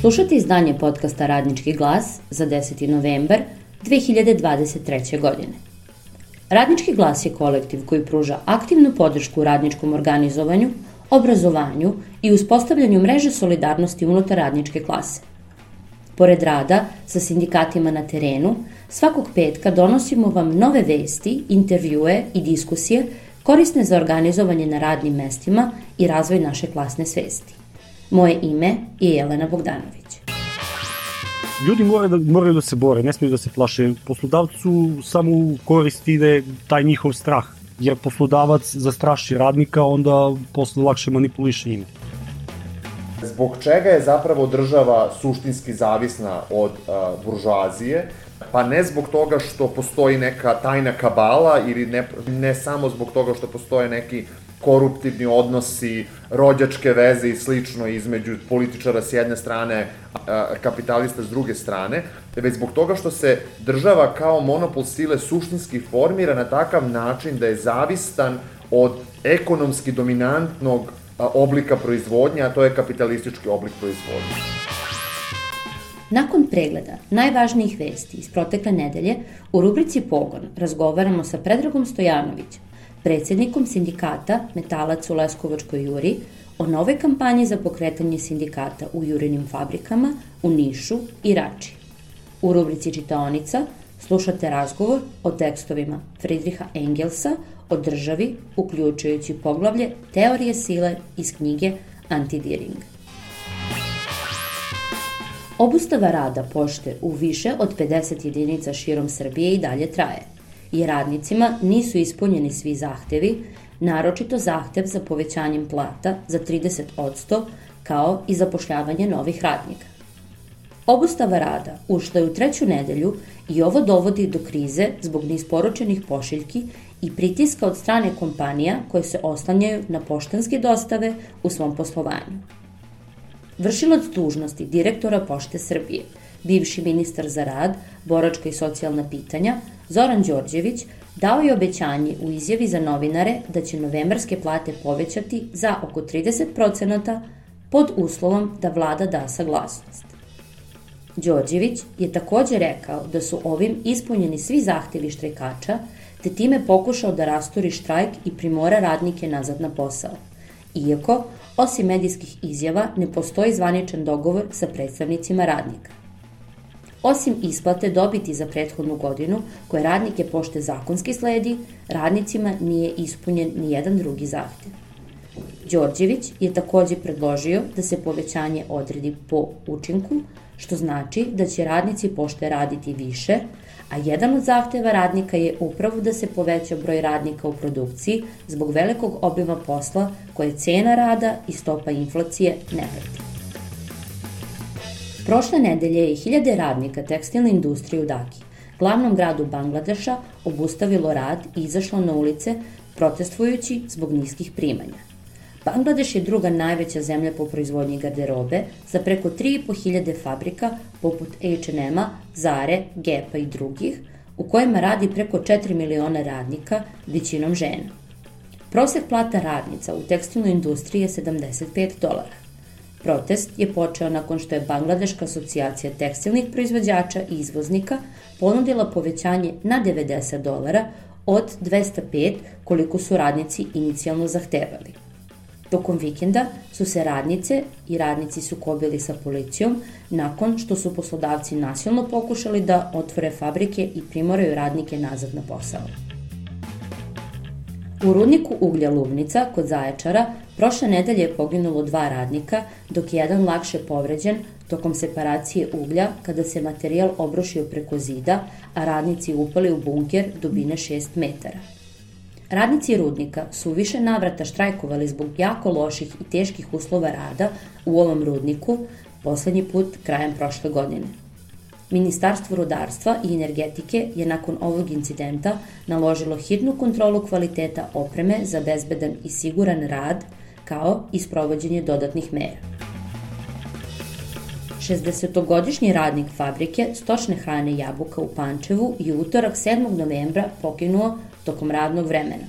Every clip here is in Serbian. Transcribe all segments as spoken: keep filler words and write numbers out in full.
Slušate izdanje podcasta Radnički glas za deseti novembar dve hiljade dvadeset treće. godine. Radnički glas je kolektiv koji pruža aktivnu podršku radničkom organizovanju, obrazovanju i uspostavljanju mreže solidarnosti unutar radničke klase. Pored rada sa sindikatima na terenu, svakog petka donosimo vam nove vesti, intervjue i diskusije korisne za organizovanje na radnim mestima i razvoj naše klasne svesti. Moje ime je Jelena Bogdanović. Ljudi moraju da, moraju da se bore, ne smiju da se plaše. Poslodavcu samo koristi ide taj njihov strah, jer poslodavac zastraši radnika, onda posle lakše manipuliše njima. Zbog čega je zapravo država suštinski zavisna od uh, buržoazije? Pa ne zbog toga što postoji neka tajna kabala ili ne, ne samo zbog toga što postoje neki koruptivni odnosi, rođačke veze i slično između političara s jedne strane, a kapitalista s druge strane, već zbog toga što se država kao monopol sile suštinski formira na takav način da je zavistan od ekonomski dominantnog oblika proizvodnje, a to je kapitalistički oblik proizvodnje. Nakon pregleda najvažnijih vesti iz protekle nedelje, u rubrici Pogon razgovaramo sa Predragom Stojanovićem, predsednikom sindikata Metalac u Leskovačkoj Juri, o novoj kampanji za pokretanje sindikata u jurinim fabrikama u Nišu i Rači. U rubrici Čitaonica slušate razgovor o tekstovima Friedricha Engelsa o državi, uključujući poglavlje Teorije sile iz knjige Antidiring. Obustava rada pošte u više od pedeset jedinica širom Srbije i dalje traje, jer radnicima nisu ispunjeni svi zahtevi, naročito zahtev za povećanjem plata za trideset posto, kao i zapošljavanje novih radnika. Obustava rada ušla je u treću nedelju i ovo dovodi do krize zbog neisporučenih pošiljki i pritiska od strane kompanija koje se oslanjaju na poštanske dostave u svom poslovanju. Vršilac dužnosti direktora Pošte Srbije, bivši ministar za rad, boračka i socijalna pitanja, Zoran Đorđević, dao je obećanje u izjavi za novinare da će novembarske plate povećati za oko trideset procenata pod uslovom da vlada da saglasnost. Đorđević je takođe rekao da su ovim ispunjeni svi zahtevi štrajkača, te time pokušao da rasturi štrajk i primora radnike nazad na posao. Iako, osim medijskih izjava, ne postoji zvaničan dogovor sa predstavnicima radnika. Osim isplate dobiti za prethodnu godinu, koje radnike pošte zakonski sledi, radnicima nije ispunjen ni jedan drugi zahtev. Đorđević je takođe predložio da se povećanje odredi po učinku, što znači da će radnici pošte raditi više, a jedan od zahteva radnika je upravo da se poveća broj radnika u produkciji zbog velikog obima posla koje cena rada i stopa inflacije ne prati. Prošle nedelje je hiljade radnika tekstilne industrije u Daki, glavnom gradu Bangladeša, obustavilo rad i izašlo na ulice protestvujući zbog niskih primanja. Bangladeš je druga najveća zemlja po proizvodnji garderobe sa preko tri i po hiljade fabrika poput H and M-a, Zare, Gap-a i drugih, u kojima radi preko četiri miliona radnika, većinom žena. Prosek plata radnica u tekstilnoj industriji je sedamdeset pet dolara. Protest je počeo nakon što je Bangladeška asocijacija tekstilnih proizvođača i izvoznika ponudila povećanje na devedeset dolara od dvesta pet koliko su radnici inicijalno zahtevali. Tokom vikenda su se radnice i radnici sukobili sa policijom nakon što su poslodavci nasilno pokušali da otvore fabrike i primoraju radnike nazad na posao. U rudniku uglja Lubnica kod Zaječara prošle nedelje je poginulo dva radnika, dok je jedan lakše povređen tokom separacije uglja kada se materijal obrušio preko zida, a radnici upali u bunker dubine šest metara. Radnici rudnika su u više navrata štrajkovali zbog jako loših i teških uslova rada u ovom rudniku, poslednji put krajem prošle godine. Ministarstvo rudarstva i energetike je nakon ovog incidenta naložilo hitnu kontrolu kvaliteta opreme za bezbedan i siguran rad, kao i sprovođenje dodatnih mera. šezdesetogodišnji radnik fabrike stočne hrane Jabuka u Pančevu je utorak sedmog novembra poginuo tokom radnog vremena,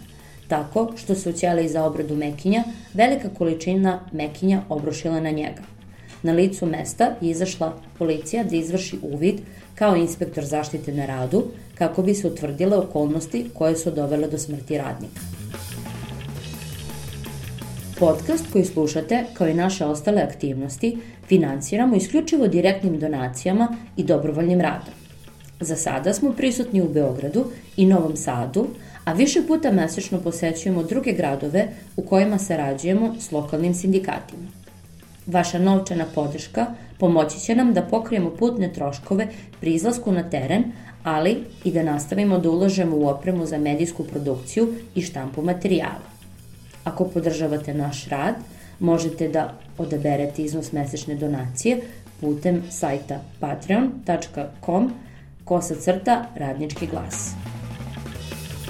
tako što se u ćeliji za obradu mekinja velika količina mekinja obrušila na njega. Na licu mesta je izašla policija da izvrši uvid kao inspektor zaštite na radu kako bi se utvrdile okolnosti koje su dovele do smrti radnika. Podcast koji slušate, kao i naše ostale aktivnosti, finansiramo isključivo direktnim donacijama i dobrovoljnim radom. Za sada smo prisutni u Beogradu i Novom Sadu, a više puta mesečno posećujemo druge gradove u kojima sarađujemo s lokalnim sindikatima. Vaša novčana podrška pomoći će nam da pokrijemo putne troškove pri izlasku na teren, ali i da nastavimo da ulažemo u opremu za medijsku produkciju i štampu materijala. Ako podržavate naš rad, možete da odaberete iznos mesečne donacije putem sajta patreon tačka com kosa crta radnički glas.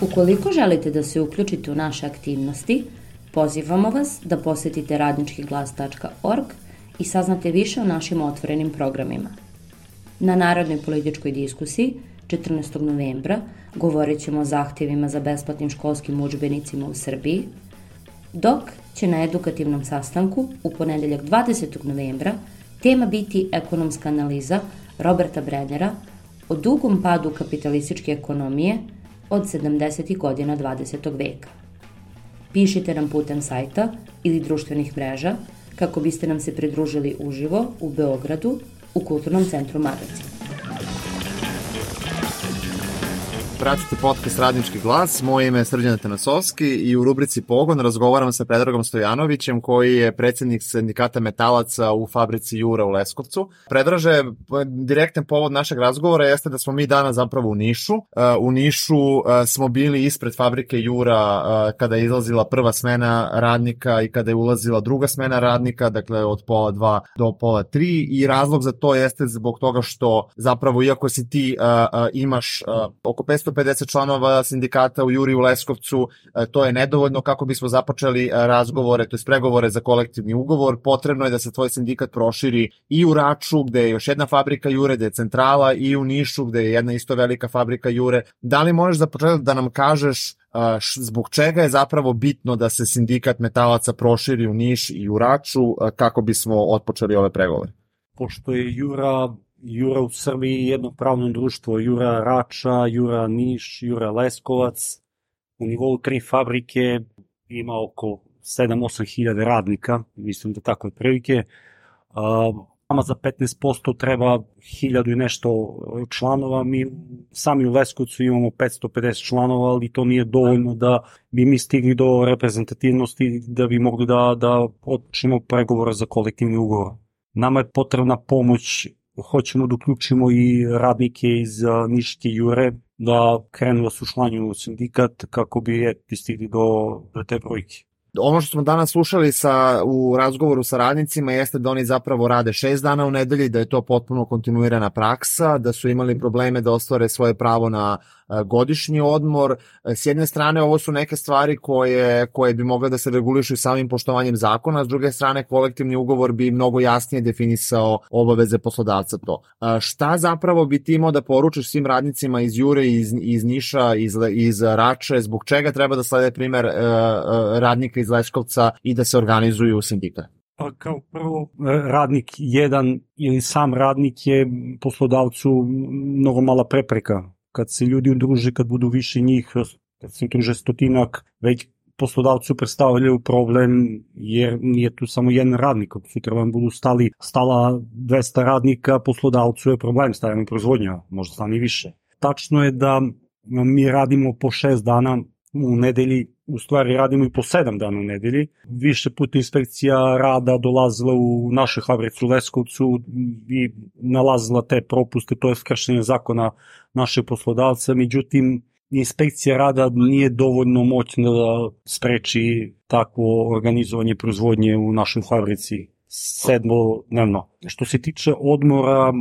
Ukoliko želite da se uključite u naše aktivnosti, pozivamo vas da posetite radnički glas tačka org i saznate više o našim otvorenim programima. Na Narodnoj političkoj diskusiji četrnaestog novembra govorit ćemo o zahtjevima za besplatnim školskim udžbenicima u Srbiji, dok će na edukativnom sastanku u ponedeljak dvadesetog novembra tema biti ekonomska analiza Roberta Brennera o dugom padu kapitalističke ekonomije od sedamdesetih godina dvadesetog veka. Pišite nam putem sajta ili društvenih mreža kako biste nam se pridružili uživo u Beogradu u Kulturnom centru Magazin. Pratite podcast Radnički glas, moje ime je Srđan Atanasovski i u rubrici Pogon razgovaram sa Predragom Stojanovićem koji je predsjednik sindikata metalaca u fabrici Jura u Leskovcu. Predraže, direktan povod našeg razgovora jeste da smo mi danas zapravo u Nišu. U Nišu smo bili ispred fabrike Jura kada je izlazila prva smena radnika i kada je ulazila druga smena radnika, dakle od pola dva do pola tri, i razlog za to jeste zbog toga što zapravo iako si ti imaš oko petsto pedeset članova sindikata u Juri u Leskovcu, to je nedovoljno kako bismo započeli razgovore, to je pregovore za kolektivni ugovor. Potrebno je da se tvoj sindikat proširi i u Raču, gde je još jedna fabrika Jure, gde je centrala, i u Nišu, gde je jedna isto velika fabrika Jure. Da li možeš za početak da nam kažeš zbog čega je zapravo bitno da se sindikat metalaca proširi u Niš i u Raču kako bismo otpočeli ove pregovore? Pošto je Jura Jura u Srbiji jedno pravno društvo, Jura Rača, Jura Niš, Jura Leskovac, u nivou tri fabrike ima oko sedam do osam hiljada radnika, mislim da tako je prilike. Nama za petnaest posto treba hiljadu i nešto članova, mi sami u Leskovcu imamo petsto pedeset članova, ali to nije dovoljno da bi mi stigli do reprezentativnosti da bi mogli da, da počnemo pregovore za kolektivni ugovor. Nama je potrebna pomoć. Hoćemo da uključimo i radnike iz Niške Jure da krenu da se učlanjuju u sindikat kako bi stigli do, do te brojke. Ono što smo danas slušali sa, u razgovoru sa radnicima jeste da oni zapravo rade šest dana u nedelji, da je to potpuno kontinuirana praksa, da su imali probleme da ostvare svoje pravo na godišnji odmor. S jedne strane ovo su neke stvari koje, koje bi mogle da se regulišu samim poštovanjem zakona, s druge strane kolektivni ugovor bi mnogo jasnije definisao obaveze poslodavca to. Šta zapravo bi ti imao da poručiš svim radnicima iz Jure, iz, iz Niša, iz, iz Rače, zbog čega treba da slede primer radnika iz Leskovca i da se organizuju u sindikat? Pa kao prvo, radnik jedan ili sam radnik je poslodavcu mnogo mala prepreka. Kad se ljudi udruže, kad budu više njih, kad se udruže stotinak, već poslodavcu predstavljaju problem jer nije tu samo jedan radnik. Sutra vam budu stali, stala dvesta radnika, poslodavcu je problem, stavljamo proizvodnja, možda stane i više. Tačno je da mi radimo po šest dana u nedelji, u stvari radimo i po sedam dana u nedelji. Više puta inspekcija rada dolazila u našu fabricu u Leskovcu i nalazila te propuste, to je kršenje zakona našeg poslodavca, međutim inspekcija rada nije dovoljno moćna da spreči takvo organizovanje proizvodnje u našoj fabrici sedmodnevno. Što se tiče odmora,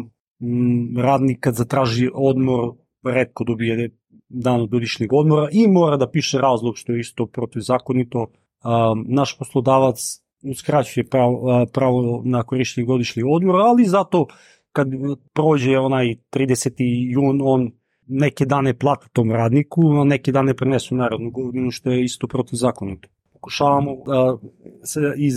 radnik kad zatraži odmor, retko dobije dan od godišnjeg odmora i mora da piše razlog, što je isto protivzakonito. Naš poslodavac uskraćuje pravo, pravo na korištenje godišnjeg odmora, ali zato kad prođe onaj trideseti jun, on neke dane plati tom radniku, a neke dane prenesu u narednu godinu, što je isto protivzakonito. Pokušavamo da iz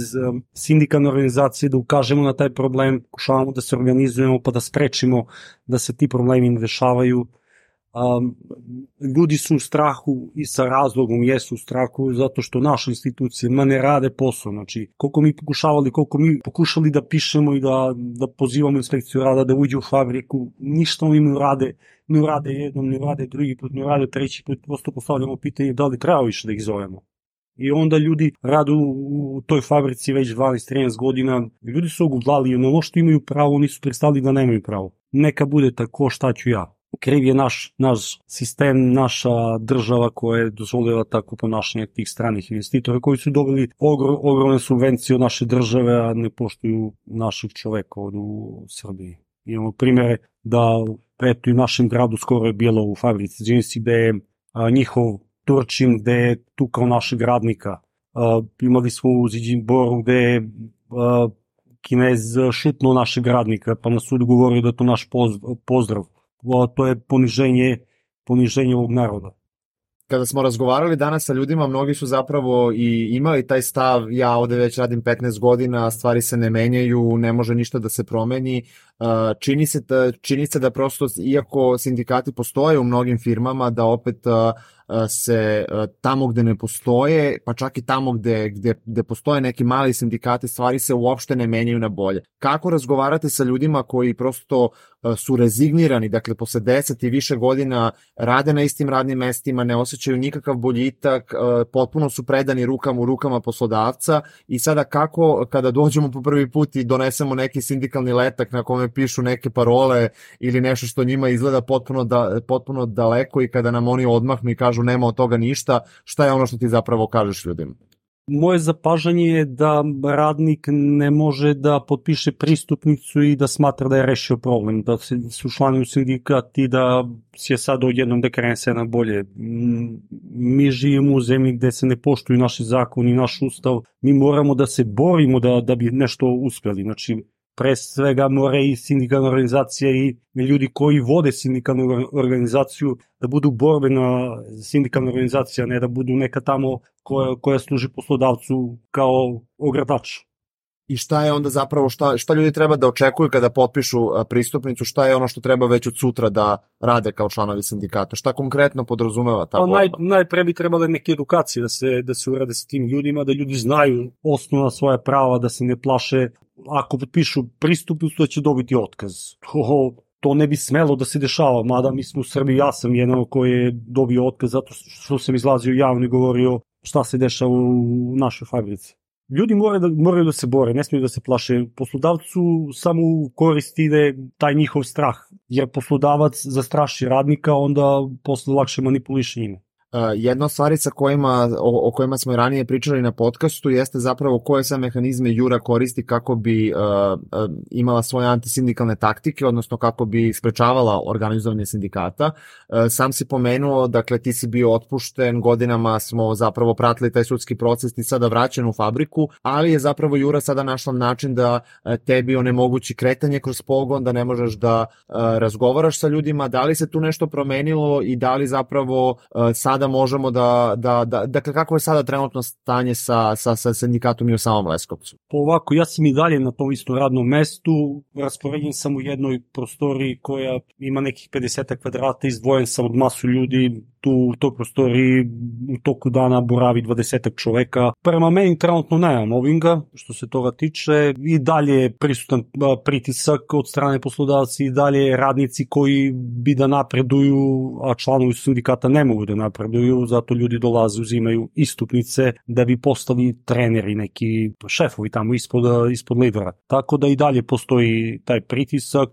sindikalne organizacije da ukažemo na taj problem, pokušavamo da se organizujemo pa da sprečimo da se ti problemi ne dešavaju. Um, ljudi su u strahu i sa razlogom jesu u strahu zato što naše institucije ma ne rade posao, znači koliko mi pokušavali, koliko mi pokušali da pišemo i da, da pozivamo inspekciju rada da uđe u fabriku, ništa oni ne rade, ne rade jednom, ne rade drugi put, ne rade treći put, prosto postavljamo pitanje da li treba više da ih zovemo. I onda ljudi rade u, u toj fabrici već dvanaest trinaest godina, ljudi su ogudlali, ono što imaju pravo, nisu prestali da nemaju pravo. Neka bude tako, šta ću ja. Kriv je naš, naš sistem, naša država koja je dozvolila tako ponašanje tih stranih investitora koji su dobili ogr, ogromne subvencije od naše države, a ne poštuju naših čoveka od u Srbiji. Imamo primjere da eto i u našem gradu skoro je bilo u fabrici Džinsi gde je a, njihov Turčin gde je tukao našeg radnika. A, imali smo u Ziđinboru gde je a, Kinez šutnuo našeg radnika pa na sudu govorio da je to naš pozdrav. To je poniženje, poniženje ovog naroda. Kada smo razgovarali danas sa ljudima, mnogi su zapravo i imali taj stav, ja ovde već radim petnaest godina, stvari se ne menjaju, ne može ništa da se promeni. Čini se da, čini se da prosto, iako sindikati postoje u mnogim firmama, da opet se tamo gde ne postoje, pa čak i tamo gde, gde, gde postoje neki mali sindikati, stvari se uopšte ne menjaju na bolje. Kako razgovarate sa ljudima koji prosto su rezignirani, dakle posle deset i više godina rade na istim radnim mestima, ne osjećaju nikakav boljitak, potpuno su predani rukama u rukama poslodavca i sada kako kada dođemo po prvi put i donesemo neki sindikalni letak na kome pišu neke parole ili nešto što njima izgleda potpuno, da, potpuno daleko i kada nam oni odmahnu i kažu nema od toga ništa, šta je ono što ti zapravo kažeš ljudima? Moje zapažanje je da radnik ne može da potpiše pristupnicu i da smatra da je rešio problem, da se su članovi u sindikat i da će sad odjednom da krene se na bolje. Mi živimo u zemlji gde se ne poštuju naši zakoni i naš ustav, mi moramo da se borimo da, da bi nešto uspjeli, znači pre svega mora i sindikalna organizacija i ljudi koji vode sindikalnu organizaciju da budu borbena sindikalna organizacija, ne da budu neka tamo koja, koja služi poslodavcu kao ogradač. I šta je onda zapravo, šta, šta ljudi treba da očekuju kada potpišu pristupnicu, šta je ono što treba već od sutra da rade kao članovi sindikata, šta konkretno podrazumeva ta borba? Naj, najpre bi trebale neke edukacije da se, da se urade sa tim ljudima, da ljudi znaju osnovna svoja prava, da se ne plaše ako potpišu pristupnicu da će dobiti otkaz. To, to ne bi smelo da se dešava, mada mi smo u Srbiji, ja sam jedan koji je dobio otkaz zato što sam izlazio javno i govorio šta se dešava u našoj fabrici. Ljudi moraju da, moraju da se bore, ne smiju da se plaše. Poslodavcu samo koristi ide taj njihov strah, jer poslodavac zastraši radnika, onda posle lakše manipuliše njima. Uh, jedna od stvari sa kojima, o, o kojima smo i ranije pričali na podcastu jeste zapravo koje sve mehanizme Jura koristi kako bi uh, uh, imala svoje antisindikalne taktike, odnosno kako bi sprečavala organizovanje sindikata. Uh, sam si pomenuo, dakle ti si bio otpušten, godinama smo zapravo pratili taj sudski proces, ti sada vraćen u fabriku, ali je zapravo Jura sada našla način da uh, tebi onemogući kretanje kroz pogon, da ne možeš da uh, razgovaraš sa ljudima. Da li se tu nešto promenilo i da li zapravo uh, sad da možemo da, da, da, dakle kako je sada trenutno stanje sa, sa, sa sindikatom i u samom Leskovcu? Ovako, ja sam i dalje na tom istom radnom mestu, raspoređen sam u jednoj prostoriji koja ima nekih pedeset kvadrata, izdvojen sam od masu ljudi, tu u toj prostoriji u toku dana boravi dvadeset čoveka. Prema meni trenutno nema mobbinga, što se toga tiče, i dalje je prisutan pritisak od strane poslodavci, i dalje radnici koji bi da napreduju, a članovi sindikata ne mogu da napreduju, zato ljudi dolaze, uzimaju istupnice da bi postali treneri, neki šefovi tamo ispod, ispod lidera. Tako da i dalje postoji taj pritisak,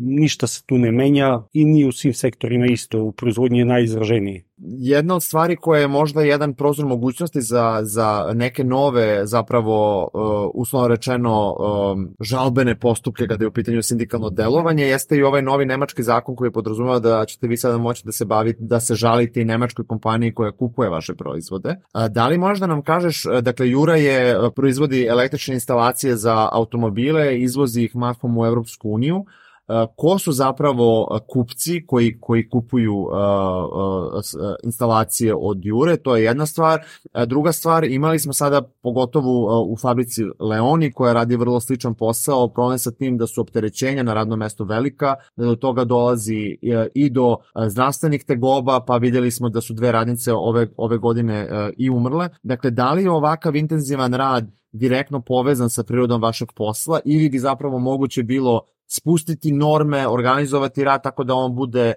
ništa se tu ne menja i ni u svim sektorima isto, u proizvodnji je najizraženiji. Jedna od stvari koja je možda jedan prozor mogućnosti za, za neke nove, zapravo, uh, uslovno rečeno, um, žalbene postupke kada je u pitanju sindikalno delovanje, jeste i ovaj novi nemački zakon koji podrazumeva da ćete vi sada moći da se bavite, da se žalite i nemačkoj kompaniji koja kupuje vaše proizvode. Uh, da li možda nam kažeš, dakle, Jura je proizvodi električne instalacije za automobile, izvozi ih mahom u Evropsku uniju. ko su zapravo kupci koji, koji kupuju uh, uh, instalacije od Jure, to je jedna stvar. Druga stvar, imali smo sada pogotovo u fabrici Leoni koja radi vrlo sličan posao, problem sa tim da su opterećenja na radnom mestu velika, da do toga dolazi i do zdravstvenih tegoba, pa vidjeli smo da su dve radnice ove, ove godine i umrle. Dakle, da li je ovakav intenzivan rad direktno povezan sa prirodom vašeg posla ili bi zapravo moguće bilo spustiti norme, organizovati rad tako da on bude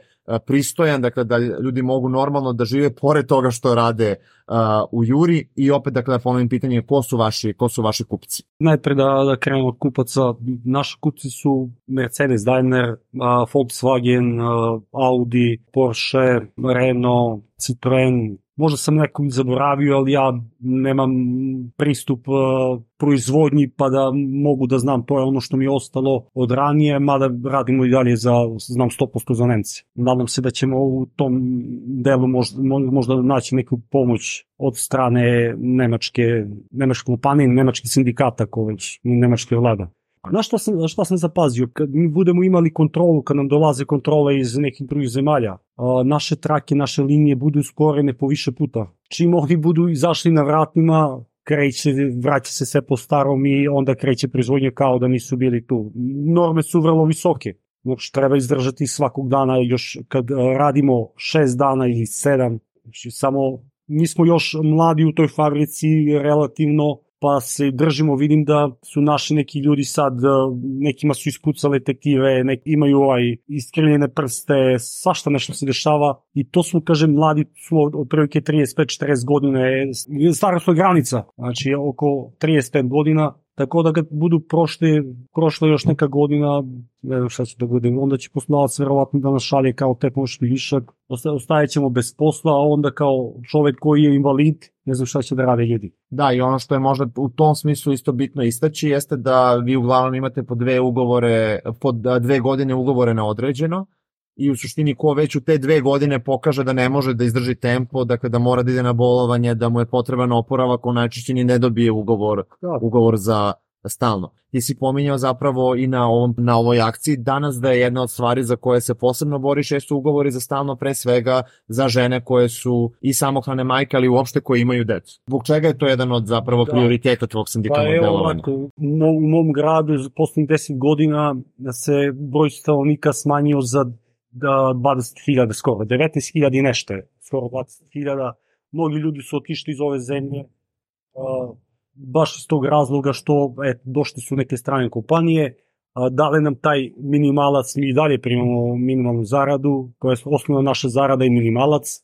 pristojan, dakle da ljudi mogu normalno da žive pored toga što rade uh, u Juri i opet dakle da ponovim pitanje ko su vaši, ko su vaši kupci? Najpre da, da krenemo od kupaca, naši kupci su Mercedes, Daimler, uh, Volkswagen, uh, Audi, Porsche, Renault, Citroen. Možda sam nekog zaboravio, ali ja nemam pristup uh, proizvodnji pa da mogu da znam, to je ono što mi je ostalo od ranije, mada radimo i dalje za, znam sto posto za Nemce. Nadam se da ćemo u tom delu možda, možda naći neku pomoć od strane nemačke, nemačke kompanije, nemačkih sindikata, ko već nemačke vlada. Na šta sam, šta sam zapazio, kad mi budemo imali kontrolu, kad nam dolaze kontrole iz nekih drugih zemalja, naše trake, naše linije budu usporene po više puta. Čim oni budu izašli na vratnima, kreće, vraća se sve po starom i onda kreće proizvodnje kao da nisu bili tu. Norme su vrlo visoke. Znači, treba izdržati svakog dana, još kad radimo šest dana ili sedam, znači, samo mi smo još mladi u toj fabrici relativno, pa se držimo, vidim da su naši neki ljudi sad, nekima su ispucale tektive, neki imaju ovaj iskrivljene prste, svašta nešto se dešava i to su, kažem, mladi su od prilike trideset pet četrdeset godine, starosna granica, znači oko trideset pet godina, tako da kad budu prošle, prošle još neka godina, ne znam šta će da bude, onda će poslodavac verovatno da nas šalje kao tehnološki višak, ostaje ćemo bez posla, a onda kao čovek koji je invalid, ne znam šta će da rade ljudi. Da, i ono što je možda u tom smislu isto bitno istaći jeste da vi uglavnom imate po dve ugovore, po dve godine ugovore na određeno i u suštini ko već u te dve godine pokaže da ne može da izdrži tempo, dakle da mora da ide na bolovanje, da mu je potreban oporavak, on najčešće ni ne dobije ugovor, ugovor za stalno. Ti si pominjao zapravo i na, ovom, na ovoj akciji danas da je jedna od stvari za koje se posebno boriš jesu ugovori za stalno, pre svega za žene koje su i samohrane majke, ali uopšte koje imaju decu. Zbog čega je to jedan od zapravo da. prioriteta tvog sindikalnog pa delovanja? Pa evo, u mom gradu za poslednjih deset godina se broj stanovnika smanjio za dvadeset hiljada skoro, devetnaest hiljada i nešto, skoro dvadeset hiljada. Mnogi ljudi su otišli iz ove zemlje, uh, baš iz tog razloga što et, došli su neke strane kompanije, uh, dale nam taj minimalac, mi dalje primamo minimalnu zaradu, koja je osnovna naša zarada i minimalac.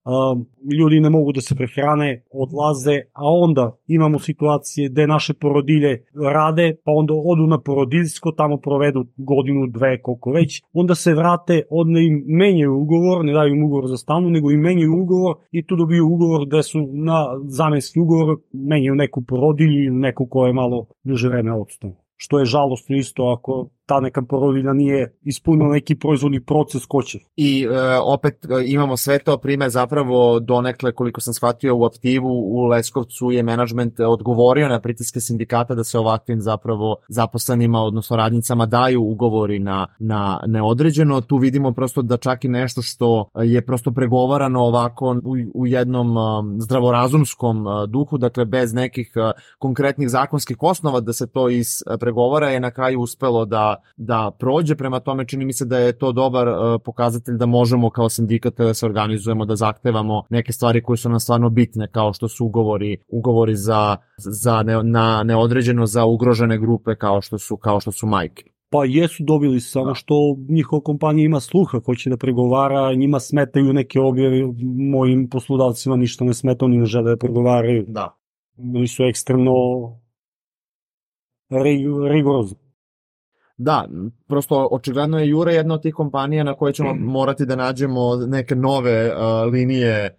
Uh, ljudi ne mogu da se prehrane, odlaze, a onda imamo situacije gde naše porodilje rade, pa onda odu na porodiljsko, tamo provedu godinu, dve, koliko već, onda se vrate, onda im menjaju ugovor, ne daju im ugovor za stalno, nego im menjaju ugovor i tu dobiju ugovor gde su na zamenski ugovor, menjaju neku porodilju ili neku koja je malo duže vreme odstao. Što je žalostno isto ako ta neka porodilja nije ispunila neki proizvodni proces ko će. I e, opet e, imamo sve to prime zapravo donekle, koliko sam shvatio u Aptivu, u Leskovcu je menadžment odgovorio na pritiske sindikata da se ovakvim zapravo zaposlenima, odnosno radnicama daju ugovori na, na neodređeno. Tu vidimo prosto da čak i nešto što je prosto pregovarano ovako u, u jednom um, zdravorazumskom uh, duhu, dakle bez nekih uh, konkretnih zakonskih osnova da se to ispregovara je na kraju uspelo da da prođe, prema tome čini mi se da je to dobar uh, pokazatelj da možemo kao sindikat da se organizujemo, da zahtevamo neke stvari koje su nam stvarno bitne, kao što su ugovori, ugovori za, za ne, na neodređeno za ugrožene grupe kao što su, kao što su majke. Pa jesu dobili, samo što njihova kompanija ima sluha, hoće da pregovara, njima smetaju neke objave, mojim poslodavcima ništa ne smeta, oni ne žele da pregovaraju. Da. Oni su ekstremno rigorozni. Da, prosto očigledno je Jura jedna od tih kompanija na koje ćemo morati da nađemo neke nove uh, linije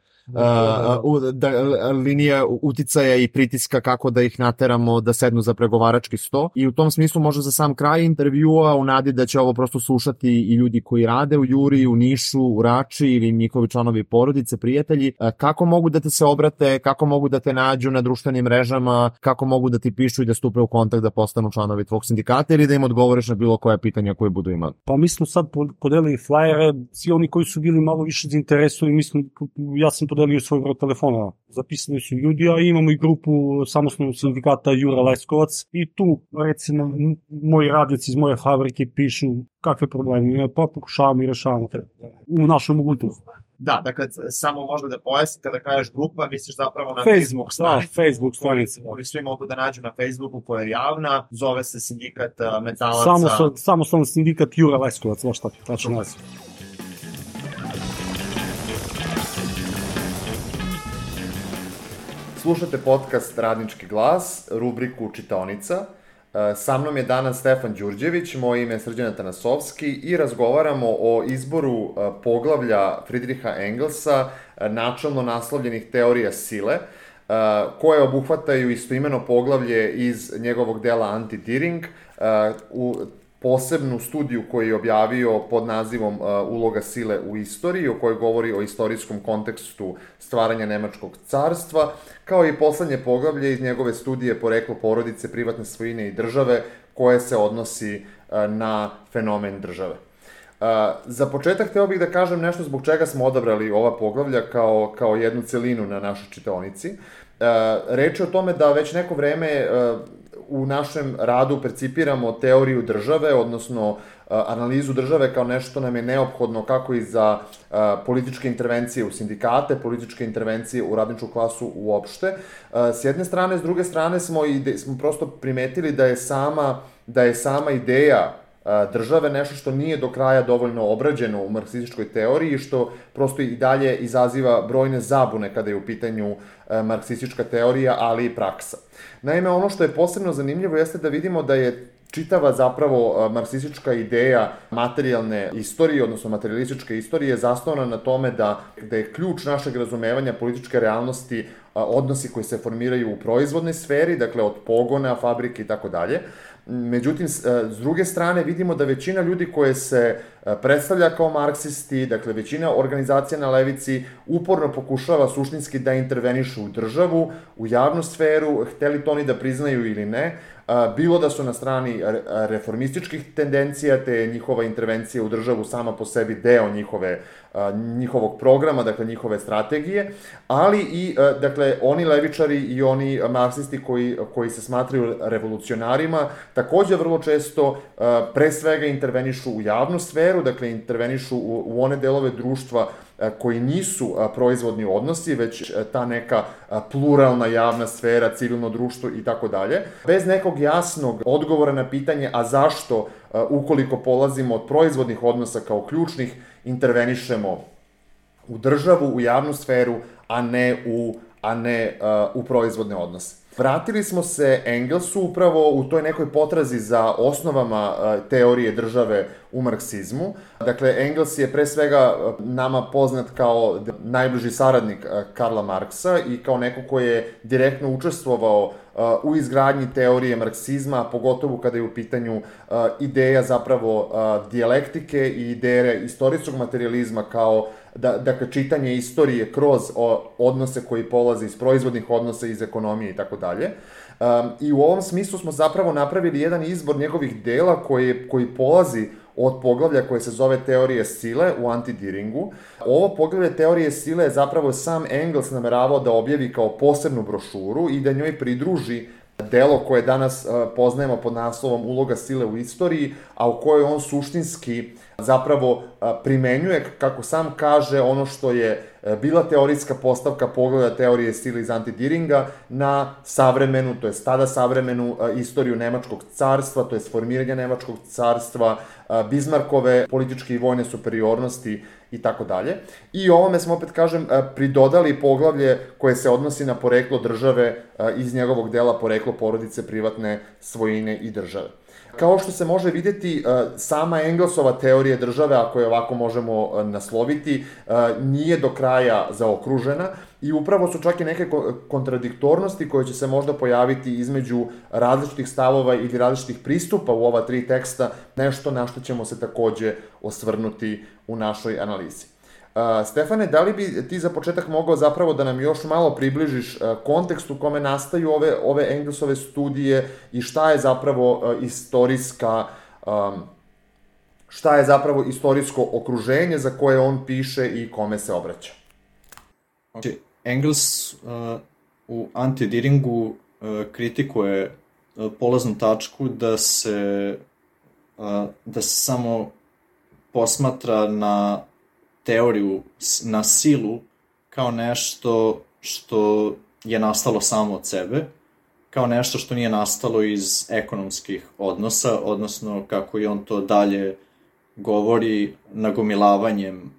uh, da, linija uticaja i pritiska kako da ih nateramo da sednu za pregovarački sto. I u tom smislu možda za sam kraj intervjua u nadi da će ovo prosto slušati i ljudi koji rade u Juri, u Nišu, u Rači ili njihovi članovi porodice, prijatelji, kako mogu da te se obrate, kako mogu da te nađu na društvenim mrežama, kako mogu da ti pišu i da stupe u kontakt da postanu članovi tvog sindikata ili da im odgovoriš na bilo koja pitanja koje budu imali. Pa mi smo sad podelili flajere, svi oni koji su bili malo više zainteresovani, mislim, ja sam podelio svoj broj telefona, zapisali su ljudi, a imamo i grupu samostalnog sindikata Jura Leskovac i tu, recimo, moji radnici iz moje fabrike pišu kakve probleme imaju, pa pokušavamo i rešavamo u našoj mogućnosti. Da, dakle, samo možda da pojasnim, kada kažeš grupa, misliš zapravo na Facebook stranicu. Facebook stranicu. Oni svi mogu da nađu na Facebooku koja je javna, zove se sindikat metalaca. Samo, samostalni sindikat Jura Leskovac, baš tako, tačno naziv. Slušate podcast Radnički glas, rubriku Čitaonica. Sa mnom je danas Stefan Đurđević, moje ime je Srđan Tanasovski i razgovaramo o izboru poglavlja Friedricha Engelsa, načelno naslovljenih teorija sile, koje obuhvataju istoimeno poglavlje iz njegovog dela Anti-Deering, u posebnu studiju koju je objavio pod nazivom Uloga sile u istoriji, o kojoj govori o istorijskom kontekstu stvaranja Nemačkog carstva, kao i poslednje poglavlje iz njegove studije Poreklo porodice, privatne svojine i države, koje se odnosi na fenomen države. Za početak hteo bih da kažem nešto zbog čega smo odabrali ova poglavlja kao, kao jednu celinu na našoj čitaonici. Reč je o tome da već neko vreme u našem radu percipiramo teoriju države, odnosno analizu države kao nešto nam je neophodno kako i za političke intervencije u sindikate, političke intervencije u radničku klasu uopšte. S jedne strane, s druge strane smo, ide, smo prosto primetili da je sama, da je sama ideja države nešto što nije do kraja dovoljno obrađeno u marksističkoj teoriji, što prosto i dalje izaziva brojne zabune kada je u pitanju marksistička teorija, ali i praksa. Naime, ono što je posebno zanimljivo jeste da vidimo da je čitava zapravo marksistička ideja materijalne istorije, odnosno materialističke istorije, zasnovana na tome da, da je ključ našeg razumevanja političke realnosti odnosi koji se formiraju u proizvodnoj sferi, dakle od pogona, fabrike i tako dalje. Međutim, s druge strane vidimo da većina ljudi koje se predstavlja kao marksisti, dakle većina organizacija na levici uporno pokušava suštinski da intervenišu u državu, u javnu sferu, hteli to oni da priznaju ili ne, bilo da su na strani reformističkih tendencija, te njihova intervencija u državu sama po sebi deo njihove, njihovog programa, dakle njihove strategije, ali i dakle oni levičari i oni marksisti koji, koji se smatraju revolucionarima takođe vrlo često pre svega intervenišu u javnu sferu, dakle intervenišu u, u one delove društva koji nisu proizvodni odnosi, već ta neka pluralna javna sfera, civilno društvo i tako dalje. Bez nekog jasnog odgovora na pitanje, a zašto, ukoliko polazimo od proizvodnih odnosa kao ključnih, intervenišemo u državu, u javnu sferu, a ne u, a ne, uh, u proizvodne odnose. Vratili smo se Engelsu upravo u toj nekoj potrazi za osnovama uh, teorije države u marksizmu. Dakle, Engels je pre svega nama poznat kao najbliži saradnik uh, Karla Marksa i kao neko ko je direktno učestvovao uh, u izgradnji teorije marksizma, pogotovo kada je u pitanju uh, ideja zapravo uh, dijalektike i ideje istorijskog materializma kao da, dakle, čitanje istorije kroz o, odnose koji polaze iz proizvodnih odnosa, iz ekonomije i tako dalje. I u ovom smislu smo zapravo napravili jedan izbor njegovih dela koji, koji polazi od poglavlja koje se zove Teorije sile u Anti-Deeringu. Ovo poglavlje Teorije sile je zapravo sam Engels nameravao da objavi kao posebnu brošuru i da njoj pridruži delo koje danas poznajemo pod naslovom Uloga sile u istoriji, a u kojoj on suštinski zapravo primenjuje, kako sam kaže, ono što je bila teorijska postavka poglavlja Teorije sile iz Anti-Deeringa na savremenu, to je tada savremenu istoriju Nemačkog carstva, to je formiranje Nemačkog carstva, Bismarckove političke i vojne superiornosti i tako dalje. I ovome smo, opet kažem, pridodali poglavlje koje se odnosi na poreklo države iz njegovog dela Poreklo porodice, privatne svojine i države. Kao što se može vidjeti, sama Engelsova teorija države, ako je ovako možemo nasloviti, nije do kraja zaokružena i upravo su čak i neke kontradiktornosti koje će se možda pojaviti između različitih stavova ili različitih pristupa u ova tri teksta, nešto na što ćemo se takođe osvrnuti u našoj analizi. Stefane, da li bi ti za početak mogao zapravo da nam još malo približiš kontekst u kome nastaju ove, ove Engelsove studije i šta je zapravo istorijska, šta je zapravo istorijsko okruženje za koje on piše i kome se obraća? Okay. Engels uh, u Anti-Deeringu uh, kritikuje uh, polaznu tačku da se, uh, da se samo posmatra na teoriju, na silu, kao nešto što je nastalo samo od sebe, kao nešto što nije nastalo iz ekonomskih odnosa, odnosno kako je on to dalje govori nagomilavanjem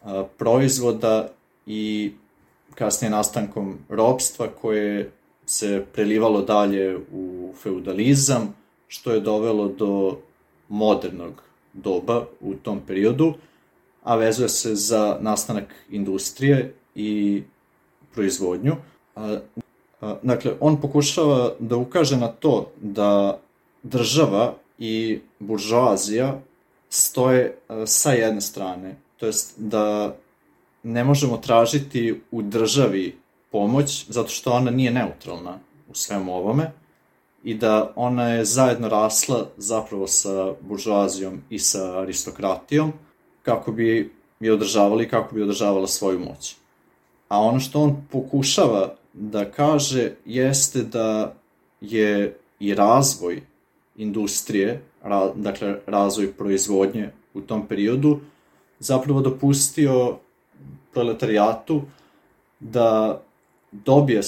a, proizvoda i kasnije nastankom ropstva koje se prelivalo dalje u feudalizam, što je dovelo do modernog doba u tom periodu, a vezuje se za nastanak industrije i proizvodnju. Dakle, on pokušava da ukaže na to da država i buržoazija stoje sa jedne strane, to jest da ne možemo tražiti u državi pomoć zato što ona nije neutralna u svemu ovome i da ona je zajedno rasla zapravo sa buržoazijom i sa aristokratijom kako bi je održavali i kako bi održavala svoju moć. A ono što on pokušava da kaže jeste da je i razvoj industrije, ra, dakle razvoj proizvodnje u tom periodu, zapravo dopustio proletarijatu da dobije,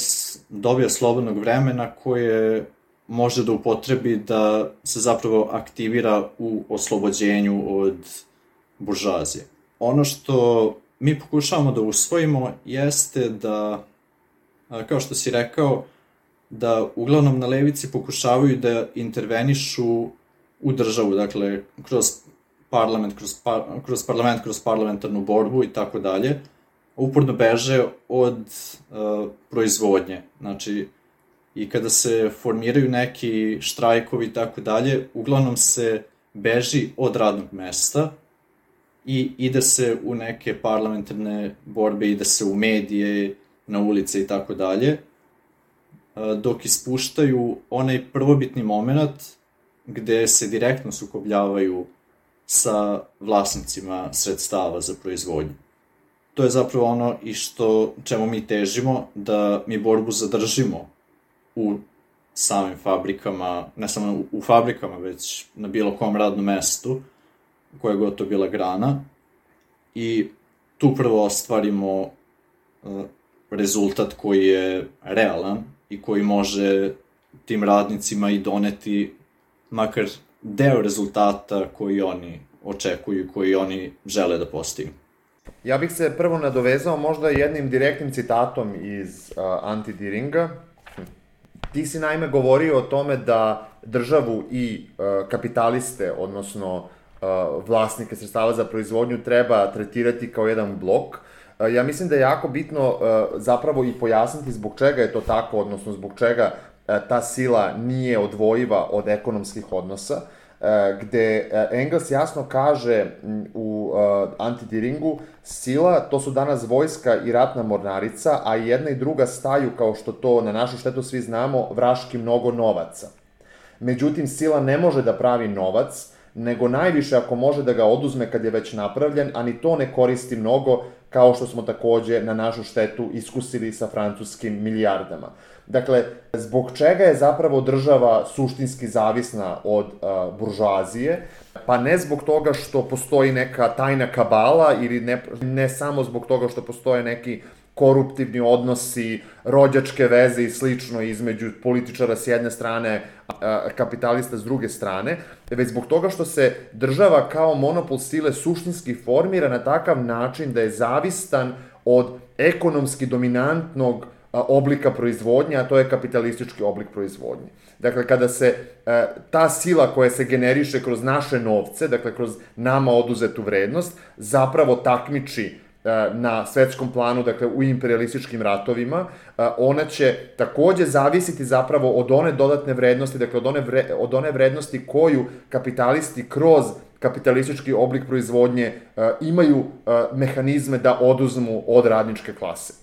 dobije slobodnog vremena koje može da upotrebi da se zapravo aktivira u oslobođenju od buržoazije. Ono što mi pokušavamo da usvojimo jeste da, kao što si rekao, da uglavnom na levici pokušavaju da intervenišu u državu, dakle, kroz parlament, kroz, par, kroz parlament, kroz parlamentarnu borbu i tako dalje, uporno beže od uh, proizvodnje. Znači, i kada se formiraju neki štrajkovi i tako dalje, uglavnom se beži od radnog mesta i ide se u neke parlamentarne borbe, ide se u medije, na ulice i tako dalje, dok ispuštaju onaj prvobitni moment gde se direktno sukobljavaju sa vlasnicima sredstava za proizvodnju. To je zapravo ono i što, čemu mi težimo, da mi borbu zadržimo u samim fabrikama, ne samo u fabrikama, već na bilo kom radnom mestu, koja je gotovo bila grana, i tu prvo ostvarimo uh, rezultat koji je realan i koji može tim radnicima i doneti makar deo rezultata koji oni očekuju i koji oni žele da postignu. Ja bih se prvo nadovezao možda jednim direktnim citatom iz uh, Anti-Deeringa. Ti si naime govorio o tome da državu i uh, kapitaliste, odnosno uh, vlasnike sredstava za proizvodnju treba tretirati kao jedan blok. Uh, ja mislim da je jako bitno uh, zapravo i pojasniti zbog čega je to tako, odnosno zbog čega uh, ta sila nije odvojiva od ekonomskih odnosa, gde Engels jasno kaže u Anti-Deeringu, sila, to su danas vojska i ratna mornarica, a jedna i druga staju, kao što to na našu štetu svi znamo, vraški mnogo novaca. Međutim, sila ne može da pravi novac, nego najviše ako može da ga oduzme kad je već napravljen, a ni to ne koristi mnogo, kao što smo takođe na našu štetu iskusili sa francuskim milijardama. Dakle, zbog čega je zapravo država suštinski zavisna od uh, buržoazije? Pa ne zbog toga što postoji neka tajna kabala ili ne, ne samo zbog toga što postoje neki koruptivni odnosi, rođačke veze i slično između političara s jedne strane, a kapitalista s druge strane, već zbog toga što se država kao monopol sile suštinski formira na takav način da je zavistan od ekonomski dominantnog oblika proizvodnje, a to je kapitalistički oblik proizvodnje. Dakle, kada se ta sila koja se generiše kroz naše novce, dakle, kroz nama oduzetu vrednost, zapravo takmiči na svetskom planu, dakle, u imperialističkim ratovima, ona će takođe zavisiti zapravo od one dodatne vrednosti, dakle, od one, vre, od one vrednosti koju kapitalisti kroz kapitalistički oblik proizvodnje imaju mehanizme da oduzmu od radničke klase.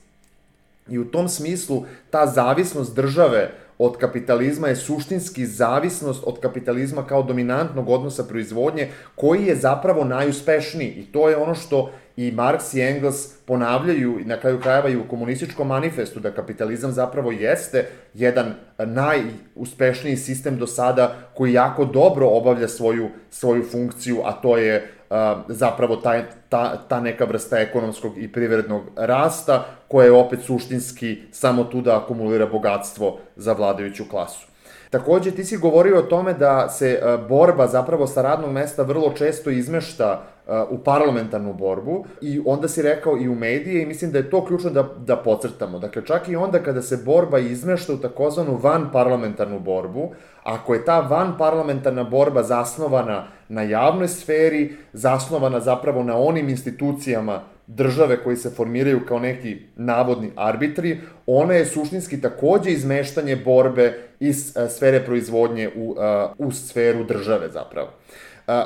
I u tom smislu ta zavisnost države od kapitalizma je suštinski zavisnost od kapitalizma kao dominantnog odnosa proizvodnje, koji je zapravo najuspešniji. I to je ono što i Marks i Engels ponavljaju, na kraju krajeva i u komunističkom manifestu, da kapitalizam zapravo jeste jedan najuspešniji sistem do sada koji jako dobro obavlja svoju, svoju funkciju, a to je uh, zapravo taj, ta, ta neka vrsta ekonomskog i privrednog rasta, koja je opet suštinski samo tu da akumulira bogatstvo za vladajuću klasu. Takođe, ti si govorio o tome da se borba zapravo sa radnog mesta vrlo često izmešta u parlamentarnu borbu i onda si rekao i u medije i mislim da je to ključno da, da podcrtamo. Dakle, čak i onda kada se borba izmešta u takozvanu vanparlamentarnu borbu, ako je ta vanparlamentarna borba zasnovana na javnoj sferi, zasnovana zapravo na onim institucijama države koji se formiraju kao neki navodni arbitri, ona je suštinski takođe izmeštanje borbe iz sfere proizvodnje u, u sferu države zapravo.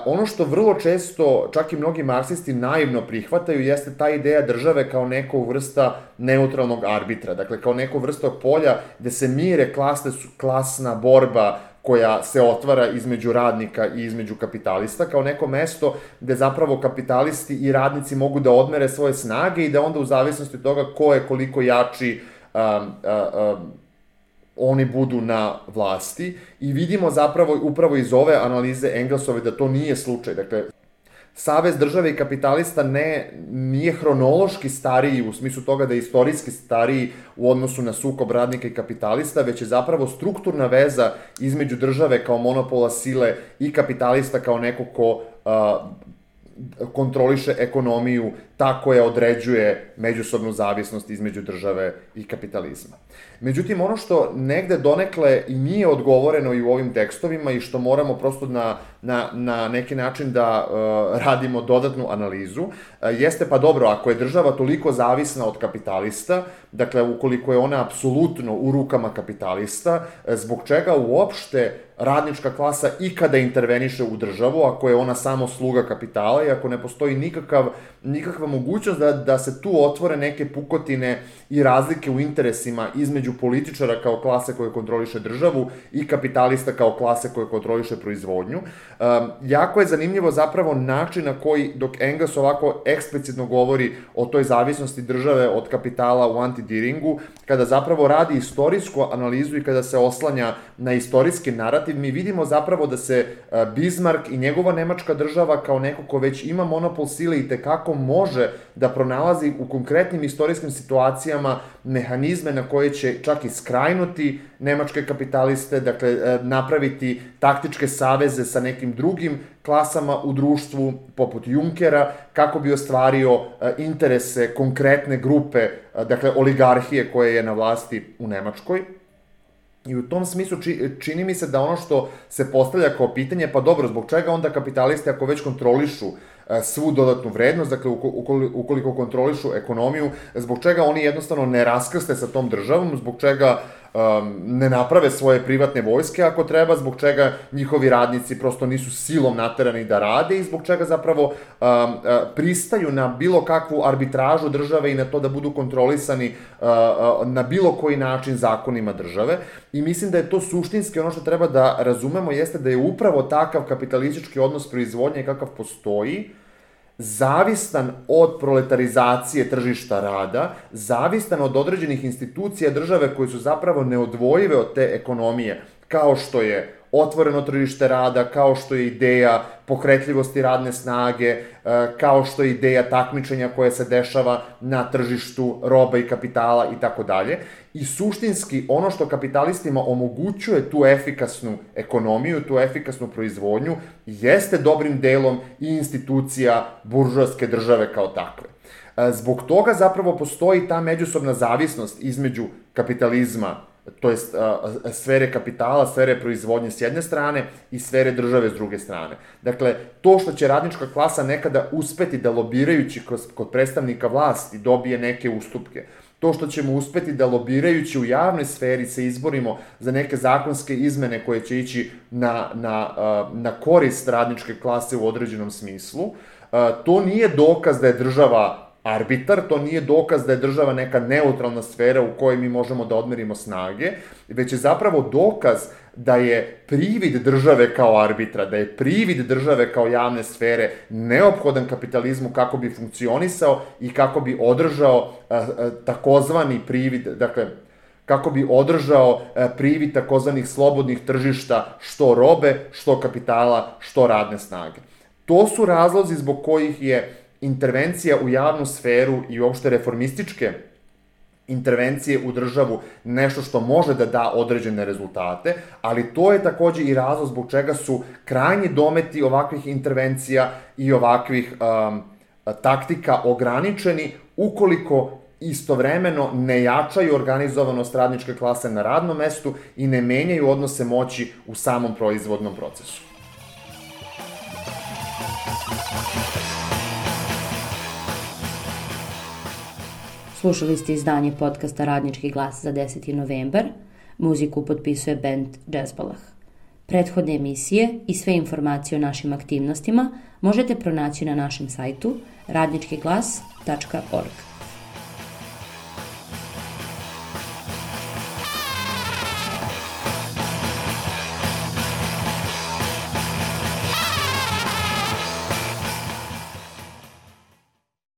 Ono što vrlo često, čak i mnogi marksisti naivno prihvataju, jeste ta ideja države kao neko vrsta neutralnog arbitra, dakle kao neko vrsta polja gde se mire klasne, klasna borba koja se otvara između radnika i između kapitalista, kao neko mesto gde zapravo kapitalisti i radnici mogu da odmere svoje snage i da onda u zavisnosti od toga ko je koliko jači, um, um, oni budu na vlasti. I vidimo zapravo upravo iz ove analize Engelsove da to nije slučaj. Dakle, savez države i kapitalista ne, nije hronološki stariji u smislu toga da je istorijski stariji u odnosu na sukob radnika i kapitalista, već je zapravo strukturna veza između države kao monopola sile i kapitalista kao neko ko a, kontroliše ekonomiju, ta koja određuje međusobnu zavisnost između države i kapitalizma. Međutim, ono što negde donekle i nije odgovoreno i u ovim tekstovima i što moramo prosto na, na, na neki način da uh, radimo dodatnu analizu, uh, jeste pa dobro, ako je država toliko zavisna od kapitalista, dakle ukoliko je ona apsolutno u rukama kapitalista, zbog čega uopšte radnička klasa ikada interveniše u državu, ako je ona samo sluga kapitala i ako ne postoji nikakav, nikakva mogućnost da, da se tu otvore neke pukotine i razlike u interesima između političara kao klase koje kontroliše državu i kapitalista kao klase koje kontroliše proizvodnju. Um, jako je zanimljivo zapravo način na koji, dok Engels ovako eksplicitno govori o toj zavisnosti države od kapitala u Anti-Deeringu, kada zapravo radi istorijsku analizu i kada se oslanja na istorijski narativ, mi vidimo zapravo da se Bismarck i njegova nemačka država kao neko ko već ima monopol sile i tekako može da pronalazi u konkretnim istorijskim situacijama mehanizme na koje će čak i skrajnuti nemačke kapitaliste, dakle napraviti taktičke saveze sa nekim drugim klasama u društvu poput Junkera, kako bi ostvario interese konkretne grupe, dakle oligarhije koje je na vlasti u Nemačkoj. I u tom smislu čini mi se da ono što se postavlja kao pitanje, pa dobro, zbog čega onda kapitalisti ako već kontrolišu svu dodatnu vrednost, dakle ukoliko kontrolišu ekonomiju, zbog čega oni jednostavno ne raskrste sa tom državom, zbog čega um, ne naprave svoje privatne vojske ako treba, zbog čega njihovi radnici prosto nisu silom naterani da rade i zbog čega zapravo um, uh, pristaju na bilo kakvu arbitražu države i na to da budu kontrolisani uh, uh, na bilo koji način zakonima države. I mislim da je to suštinski ono što treba da razumemo, jeste da je upravo takav kapitalistički odnos proizvodnje kakav postoji, zavistan od proletarizacije tržišta rada, zavistan od određenih institucija države koje su zapravo neodvojive od te ekonomije, kao što je otvoreno tržište rada, kao što je ideja pokretljivosti radne snage, kao što je ideja takmičenja koje se dešava na tržištu roba i kapitala i tako dalje. I suštinski ono što kapitalistima omogućuje tu efikasnu ekonomiju, tu efikasnu proizvodnju, jeste dobrim delom i institucija buržoaske države kao takve. Zbog toga zapravo postoji ta međusobna zavisnost između kapitalizma, to jest sfere kapitala, sfere proizvodnje s jedne strane i sfere države s druge strane. Dakle, to što će radnička klasa nekada uspeti da lobirajući kod predstavnika vlasti dobije neke ustupke, to što ćemo uspeti da lobirajući u javnoj sferi se izborimo za neke zakonske izmene koje će ići na, na, na korist radničke klase u određenom smislu, to nije dokaz da je država arbitar, to nije dokaz da je država neka neutralna sfera u kojoj mi možemo da odmerimo snage, već je zapravo dokaz da je privid države kao arbitra, da je privid države kao javne sfere neophodan kapitalizmu kako bi funkcionisao i kako bi održao takozvani privid, dakle, kako bi održao privid takozvanih slobodnih tržišta, što robe, što kapitala, što radne snage. To su razlozi zbog kojih je intervencija u javnu sferu i uopšte reformističke intervencije u državu nešto što može da da određene rezultate, ali to je takođe i razlog zbog čega su krajnji dometi ovakvih intervencija i ovakvih um, taktika ograničeni ukoliko istovremeno ne jačaju organizovanost radničke klase na radnom mestu i ne menjaju odnose moći u samom proizvodnom procesu. Slušali ste izdanje podcasta Radnički glas za deseti novembar. Muziku potpisuje band Džezbalah. Prethodne emisije i sve informacije o našim aktivnostima možete pronaći na našem sajtu radnički glas tačka org.